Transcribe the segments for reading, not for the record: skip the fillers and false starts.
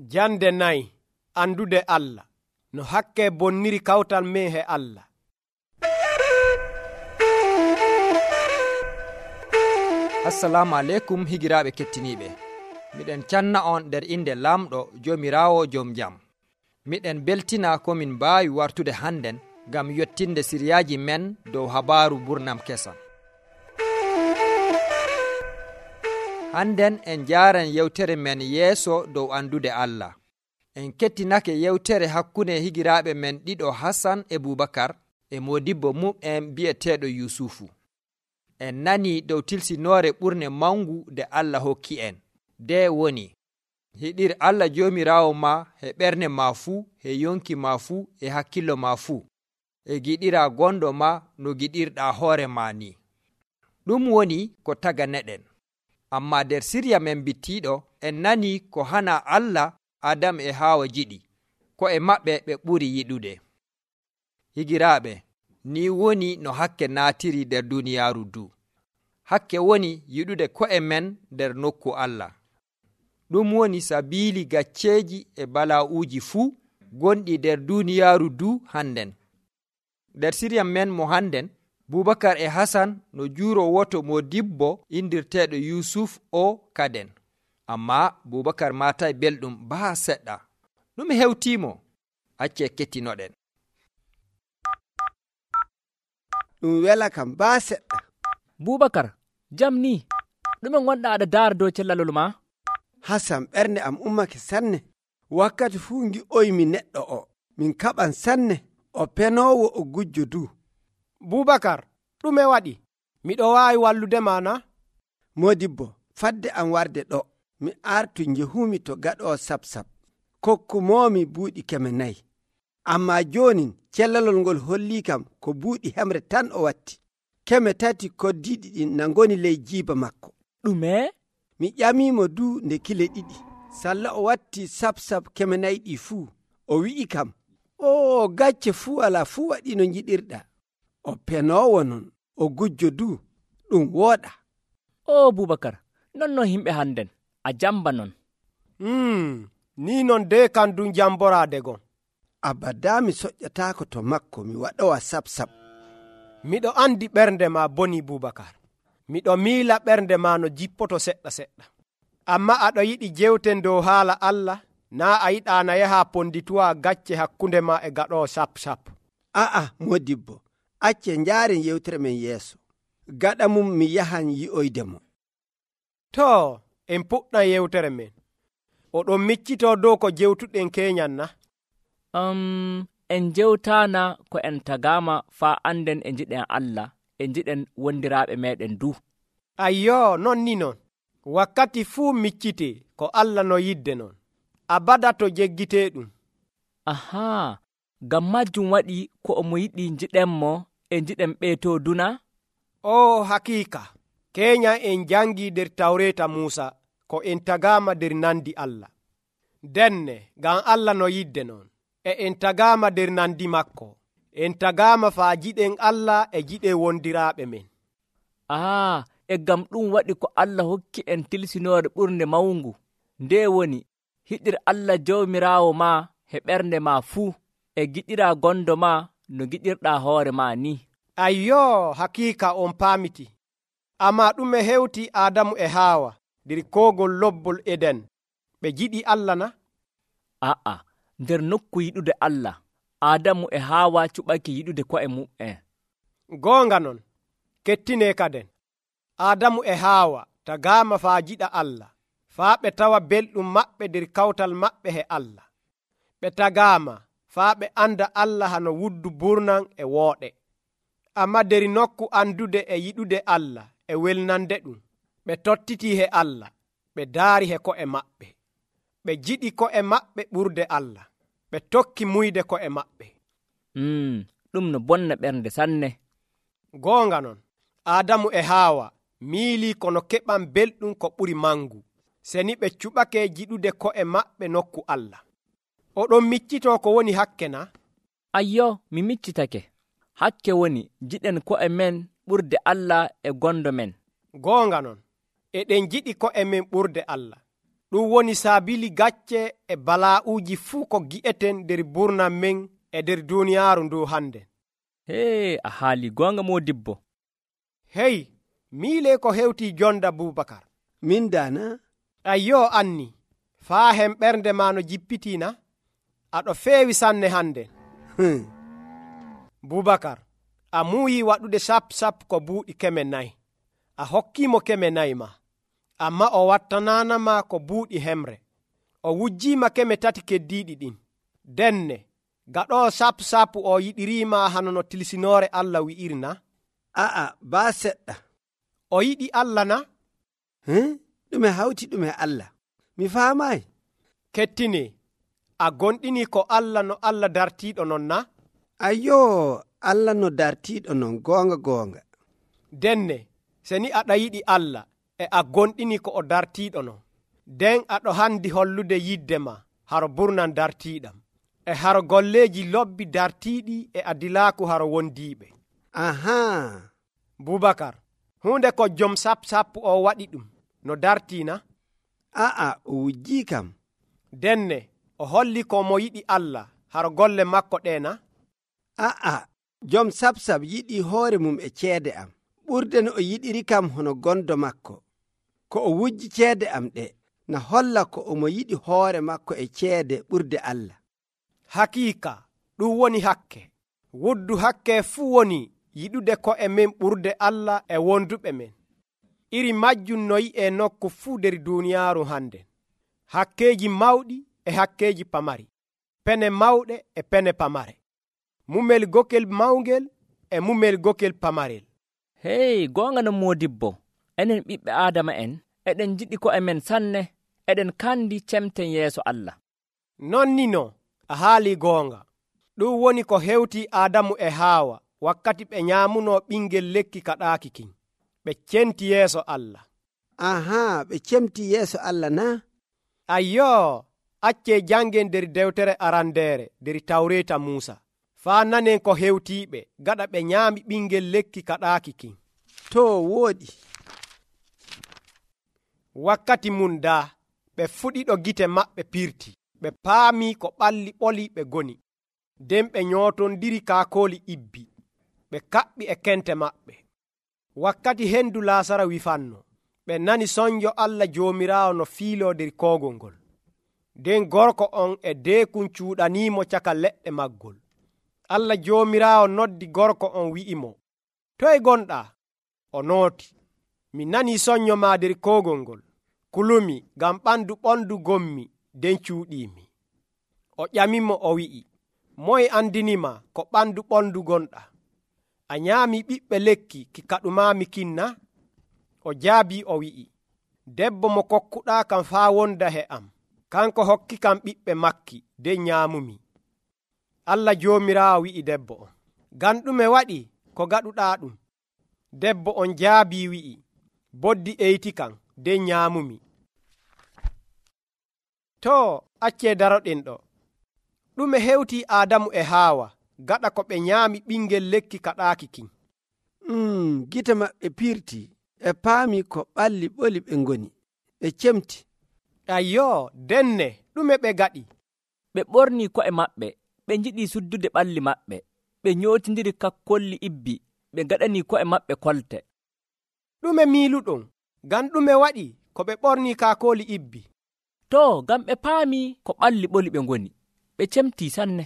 Jande 4 andude Allah no hakke bonniri kawtal men he Allah. Assalamu alaikum higiraaɓe kettiniiɓe. Miɗen canna on nder inde lamɗo Joomiraawo joom jam. Miɗen beltina ko min mbaawi wartude hannden ngam yottinde siriyaaji men dow habaaru burnam kesam. Hannden en jaaran yewtere men yeeso dow andude Allah. En kettinake yewtere hakkunde higiraaɓe men ɗiɗo Hassan e Bubakar e modibbo mum en bi'eteeɗo Yusufu. En nani dow tilsinoore ɓurne mangu nde Allah hokki en. De woni, hiɗir Allah Joomiraawo ma e ɓernde ma fuu, e yonki ma fuu, e hakkillo ma fuu, e giɗira gondo ma no giɗirɗa hoore ma ni. Ɗum woni ko taganeɗen. Amma nder sirya men bittiɗo en nani ko hana Allah Adam e Hawa jiɗi, ko e maɓɓe ɓe ɓuri yiɗude. Higiraaɓe, ni woni no hakke naatiri nder duniyaaru du. Hakke woni yiɗude ko'e men nder nokku Allah. Ɗum woni sabiili gacceeji e bala'uuji fuu gonɗi nder duniyaaru du hannden. Nder sirya men mo hannden, Bubakar e Hasan no juuro woto modibbo indirteeɗo Yusuf o kaden. Amma Bubakar maatay belɗum baa seɗɗa. Ɗum hewtiimo, acce kettinoɗen. Ɗum wela kam baa seɗɗa. Bubakar, jam ni, ɗume gonɗa aɗa daara dow cellalol ma? Hasan, ɓernde am ummake sanne. Wakkati fuu ngi'oymi neɗɗo o. Min kaɓan sanne. O penoowo o gujjo du. Bubakar, ɗume waɗi? Miɗo waawi walludema na? Modibbo, fadde am warde ɗo. Mi artu njehumi to gaɗoo sab-sab. Kokkumoomi buuɗi 400. Ammaa joonin cellalol ngol hollii kam ko buuɗi hemre tan o watti. 3 koddiiɗi ɗin na ngoni ley jiiba makko. Ɗume? Mi ƴamiimo du nde kile 2. Salla o watti sab-sab 400 ɗi fuu. O wi'i kam, o gacce fuu alaa fuu waɗi no njiɗirɗa. O penoowo non, o gujjo du, ɗum wooɗa. O Bubakar, non himɓe hannden, a jamba non. Ni non de kan dun jamboraade gon. Abadaa mi soƴƴataako to makko mi waɗowa sab-sab. Miɗo andi ɓernde ma boni Bubakar. Miɗo miila ɓernde ma no jippoto seɗɗa seɗɗa. Amma aɗo yiɗi jewten dow haala Allah, naa a yiɗaana yaha pondituwa gacce hakkunde ma e gaɗoo sab-sab. A'a, modibbo, acce njaaren yewtere men yeeso. Gaɗa mum mi yahan yi'oyde mo. To, en puɗɗan yewtere men. Oɗon miccitoo dow ko jewtuɗen keñan na? En jewtaana ko en tagaama faa anden e jiɗen Allah e jiɗen wondiraaɓe meɗen du. Ayyo, non ni non. Wakkati fuu miccitee ko Allah no yidde non. Abada to jeggitee ɗum. Ahaa, ngam majjum waɗi ko omo yiɗi jiɗenmo e jiɗen ɓeetoo duna? O hakiika, keñan en jangi nder tawreeta Muusa ko en tagaama nder nandi Allah. Denne, ngam Allah no yidde non. E en tagaama nder nandi makko. En tagaama faa jiɗen Allah e jiɗe wondiraaɓe men. E ngam ɗum waɗi ko Allah hokki en tilsinoore ɓurnde mawngu. Nde woni, hiɗir Allah Joomiraawo ma e ɓernde ma fuu, e giɗira gondo ma no giɗirɗa hoore ma ni. Ayyo, hakiika on paamiti. Amma ɗume hewti Adamu e Hawa nder koogol lobbol Eden? Ɓe jiɗi Allah na? A'a, nder nokku yiɗude Allah, Adamu e Hawa cuɓake yiɗude ko'e mum'en. Goonga non, kettine kaden. Adamu e Hawa tagaama faa jiɗa Allah, faa ɓe tawa belɗum maɓɓe nder kawtal maɓɓe he Allah. Ɓe tagaama faa ɓe anda Allah hano wuddu burnan e wooɗe. Amma nder nokku andude e yiɗude Allah e welnande ɗum, ɓe tottiti he Allah, ɓe daari he ko'e maɓɓe. Ɓe jiɗi ko'e maɓɓe ɓurde Allah, ɓe tokki muyde ko'e maɓɓe. Ɗum no bonna ɓernde sanne. Goonga non, Adamu e Hawa miili kono keɓan belɗum ko ɓuri mangu, seni ɓe cuɓake jiɗude ko'e maɓɓe nokku Allah. Oɗon miccitoo ko woni hakke na? Ayyo, mi miccitake. Hakke woni jiɗen ko'e men ɓurde Allah e gondo men. Goonga non, eɗen jiɗi ko'e men ɓurde Allah. ɗum woni saabili gacce e balaa'uuji fuu ko gi'eten nder burnam men e nder duuniyaaru ndu hande. Hee, a haali goonga moodibbo. Hey, miile ko hewtii jonda Bubakar. min dana Ayyo anni, faa hen ɓernde ma no jippitiina, aɗo feewi sanne hande. Bubakar, a muuyi waɗude sap ko buuɗi 400. A hokkiimo 400 ma, amma o wattananama ko buuɗi hemre. O wujjiima 3 keddiiɗi ɗin. Denne, gaɗoo sap o yiɗiriima hano no tilsinoore Allah wi'irna. aa baa seɗɗa. O yiɗi Allah na? ɗume hawti ɗume Allah? mi faamayi. Kettine, a gonɗini ko Allah no Allah dartiiɗo non na? ayyo, Allah no dartiiɗo non, goonga. Denne, se ni aɗa yiɗi Allah e a gonɗini ko o dartiiɗo non, nden aɗo handi hollude yidde ma haro burnan dartiiɗam, e haro golleeji lobbi dartiiɗi e adilaaku haro wondiiɓe. ahaa. Bubakar, hunde ko jom sap o waɗi ɗum no dartiina? aa, o wujjii kam. Denne, o holli ko mo yiɗi Allah haro golle makko ɗeena? aa, jom sap yiɗi hoore mum e ceede am ɓurde no o yiɗiri kam hono gondo makko. ko o wujji ceede am ɗe na holla ko omo yiɗi hoore makko e ceede ɓurde Allah. Hakiika, ɗum woni hakke. Wuddu hakke fuu woni yiɗude ko e men ɓurde Allah e wonduɓe men. Iri majjum no yi'e nokku fuu nder duuniyaaru hande. Hakkeeji mawɗi e hakkeeji pamari, pene mawɗe e pene pamare, mumel gokel mawngel e mumel gokel pamarel. Hey, goonga no moodibbo, enen ɓiɓɓe Aadama en eɗen jiɗi ko e men sanne, eɗen kandi cemten yeeso Allah. Non ni no, a haali goonga. Ɗum woni ko hewti Aadamu e Haawa wakkati ɓe nyaamuno ɓingel lekki kaɗaaki kin. Ɓe centi yeeso Allah. ahaa, ɓe cemti yeeso Allah na? Ayyo, accee jangen nder dewtere arandeere nder Tawreeta Muusa, faa nanen ko hewtiiɓe gaɗa ɓe nyaami ɓingel lekki kaɗaaki kin. To wooɗi. Wakkati mum daa, ɓe fuɗiɗo gite maɓɓe pirti, ɓe paamii ko ɓalli ɓoli ɓe goni, nden ɓe nyootondiri kaakooli ibbi, ɓe kaɓɓi e kente maɓɓe. Wakkati hendu Laasara wifanno, ɓe nani sonjo Allah Joomiraawo no fiiloo nder koogol ngol. Nden gorko on e deekun cuuɗaniimo caka leɗɗe maggol. Allah Joomiraawo noddi gorko on wi'imo, toye gonɗaa? O nooti, mi nanii sonyo maa nder koogol ngol, kulumi ngam ɓandu ɓondu gommi, nden cuuɗiimi. O ƴamimo o wi'i, moye andinima ko ɓandu ɓondu gonɗaa? A nyaami ɓiɓɓe lekki ki kaɗumaami kinna? O jaabi o wi'i, debbo mo kokkuɗaa kam faa wonda he am, kanko hokki kam ɓiɓɓe makki, nden nyaamumi. Allah Joomiraawo wi'i debbo on, ngam ɗume waɗi ko gaɗuɗaa ɗum? Debbo on jaabi wi'i, boddi eyti kam, nden nyaamumi. To, accee daroɗen ɗo. Ɗume hewti Aadamu e Haawa gaɗa ko ɓe nyaami ɓingel lekki kaɗaaki kin? Gite maɓɓe pirti e paami ko ɓalli ɓoli ɓe ngoni, ɓe cemti. Ayyo, denne, ɗume ɓe gaɗi? Ɓe ɓornii ko'e maɓɓe, ɓe njiɗii suddude ɓalli maɓɓe, ɓe nyootindiri kakkolli ibbi, ɓe gaɗanii ko'e maɓɓe kolte. Ɗume miiluɗon, ngam ɗume waɗi ko ɓe ɓornii kaakooli ibbi? To, ngam ɓe paamii ko ɓalli ɓoli ɓe ngoni, ɓe cemtii sanne.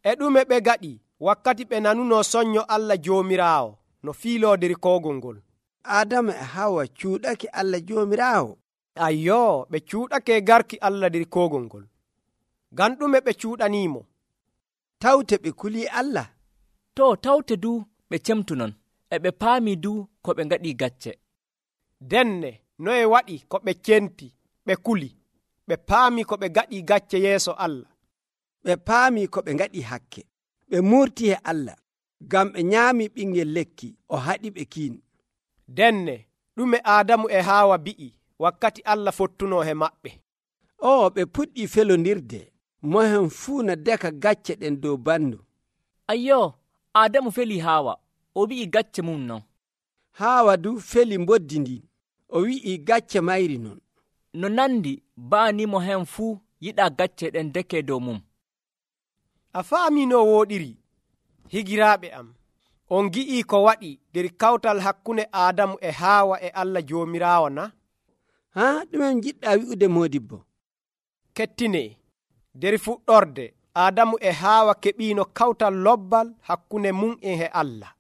E ɗume ɓe gaɗi wakkati ɓe nanunoo sonyo Allah Joomiraawo no fiiloo nder koogol ngol? Aadama e Hawa cuuɗake Allah Joomiraawo. Ayyo, ɓe cuuɗake garki Allah nder koogol ngol. Ngam ɗume ɓe cuuɗaniimo? Tawte ɓe kulii Allah. To, tawte du ɓe cemtu non, e ɓe paamii du ko ɓe ngaɗii gacce. Denne, noye waɗi ko ɓe centi, ɓe kuli, ɓe paamii ko ɓe gaɗii gacce yeeso Allah? Ɓe paamii ko ɓe ngaɗi hakke, ɓe murtii e Allah, ngam ɓe nyaamii ɓingel lekki o haɗi ɓe kiin. Denne, ɗume Aadamu e Haawa bi'i wakkati Allah fottunoo he maɓɓe? Ɓe puɗɗii felondirde, mohen fuu no deka gacce ɗen dow bandu. Ayyo, Aadamu felii Haawa, o wi'i gacce mum non. Haawa du feli mboddi ndin, o wi'i gacce mayri non. no nandi baanimo hen fuu yiɗaa gacce ɗen deke dow mum. A faami no wooɗiri, higiraaɓe am. On gi'ii ko waɗi nder kawtal hakkunde Aadamu e Haawa e Allah Joomiraawo na? haa ɗume jiɗɗaa wi'ude moodibbo? Kettinee, nder fuɗɗorde Aadamu e Haawa keɓiino kawtal lobbal hakkunde mum e Allah.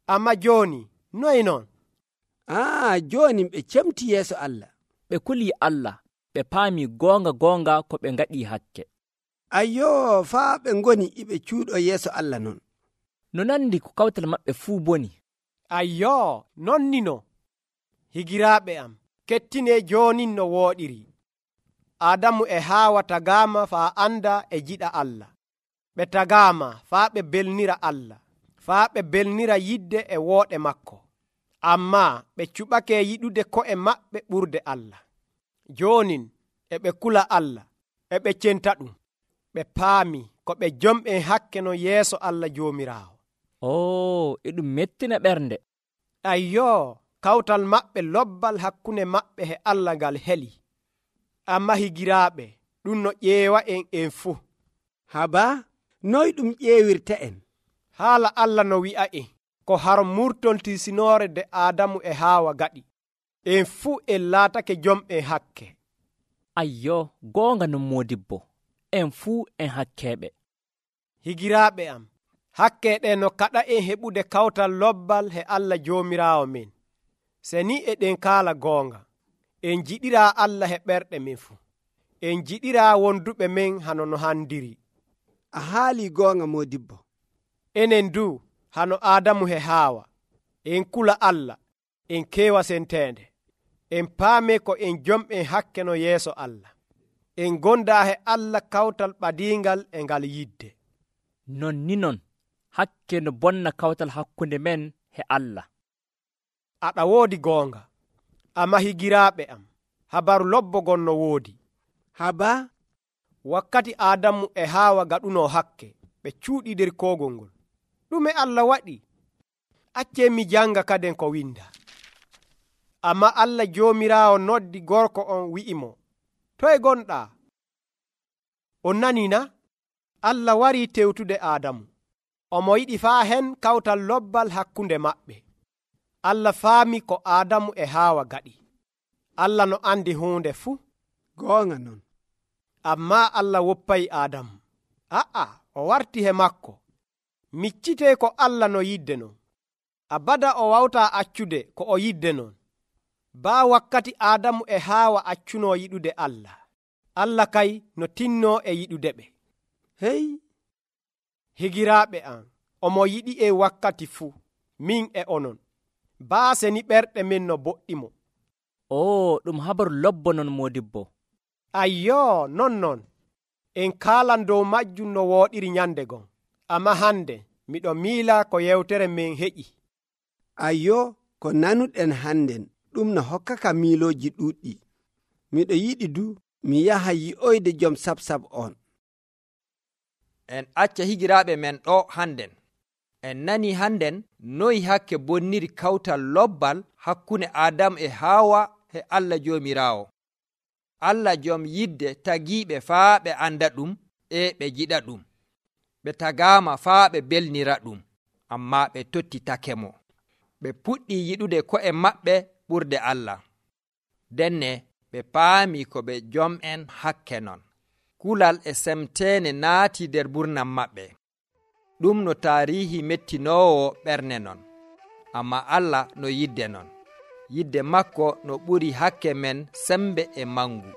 Amma jooni noye non? Jooni ɓe cemti yeeso Allah. Ɓe kulii Allah, ɓe paami goonga ko ɓe ngaɗii hakke. Ayyoo, faa ɓe ngoni iɓe cuuɗo yeeso Allah non. No nandi ko kawtal maɓɓe fuu boni. Ayyoo, nonnino. Higiraaɓe am, kettinee joonin no wooɗiri. Aadamu e Haawa tagaama faa anda e jiɗa Allah. Ɓe tagaama faa ɓe belnira Allah, faa ɓe belnira yidde e wooɗe makko. Ammaa ɓe cuɓake yiɗude ko'e maɓɓe ɓurde Allah. Joonin e ɓe kula Allah, e ɓe centa ɗum. Ɓe paami ko ɓe jom'en hakke no yeeso Allah Joomiraawo. E ɗum mettina ɓernde. Ayyoo, kawtal maɓɓe lobbal hakkunde maɓɓe e Allah ngal heli. Amma higiraaɓe, ɗum no ƴeewa en fuu. Haba, noy ɗum ƴeewirta en? Haala Allah no wi'a en ko har murtoltisinoore de Aadamu e Haawa gaɗi. En fuu en laatake jom'en hakke. Ayyoo, goonga non moodibbo, en fuu en hakkeeɓe. Higiraaɓe am, hakke ɗe no kaɗa en heɓude kawtal lobbal he Allah Joomiraawo men. Se ni eɗen kaala goonga, en jiɗiraa Allah he ɓerɗe men fuu. En jiɗiraa wonduɓe men hano no handiri. A haalii goonga moodibbo. Enen du hano Aadamu he Haawa, en kula Allah, en keewa senteende, en paame ko en jom'en hakke no yeeso Allah. En gondaa he Allah kawtal ɓadiingal e ngal yidde. Non ni non, hakke no bonna kawtal hakkunde men he Allah. Aɗa woodi goonga, amma higiraaɓe am, habaru lobbogon no woodi. Haba, wakkati Aadamu e Haawa gaɗuno hakke, ɓe cuuɗi nder koogol ngol. Ɗume Allah waɗi? Accee mi janga kaden ko winda. Amma Allah Joomiraawo noddi gorko on wi'imo, toye gonɗaa? On nani na? Allah warii tewtude Aadamu. Omo yiɗi faa hen kawtal lobbal hakkunde maɓɓe. Allah faami ko Aadamu e Haawa gaɗi. Allah no andi huunde fuu. Goonga non. Ammaa Allah woppayi Aadamu. O warti he makko. Miccitee ko Allah no yidde non. Abada o wawtaa accude ko o yidde non. Baa wakkati Aadamu e Haawa accunoo yiɗude Allah. Allah kay no tinnoo e yiɗude ɓe. Hey! Higiraaɓe am, omo yiɗi e wakkati fuu, min e onon. Baa seni ɓerɗe men no boɗɗimo. Ɗum habaru lobbo non moodibbo. Ayyoo, non. En kaalan dow majjum no wooɗiri nyande gon. Amma hande, miɗo miila ko yewtere men heƴi. Ayyoo, ko nanuɗen hannden, ɗum no hokkaka miilooji ɗuuɗɗi. Miɗo yiɗi du, mi yaha yi'oyde jom sab on. En acca higiraaɓe men ɗo hannden. En nani hannden noyi hakke bonniri kawtal lobbal hakkunde Aadamu e Haawa e Allah Joomiraawo. Allah jom yidde tagiiɓe faa ɓe anda ɗum e ɓe jiɗa ɗum. Ɓe tagaama faa ɓe belnira ɗum, ammaa ɓe tottitake mo. Ɓe puɗɗi yiɗude ko'e maɓɓe ɓurde Allah. Denne ɓe paami ko ɓe jom'en hakke non. Kulal e semteene naati nder burnam maɓɓe. Ɗum no taarihi mettinoowo ɓernde non. Amma Allah no yidde non. Yidde makko no ɓuri hakke men sembe e mangu.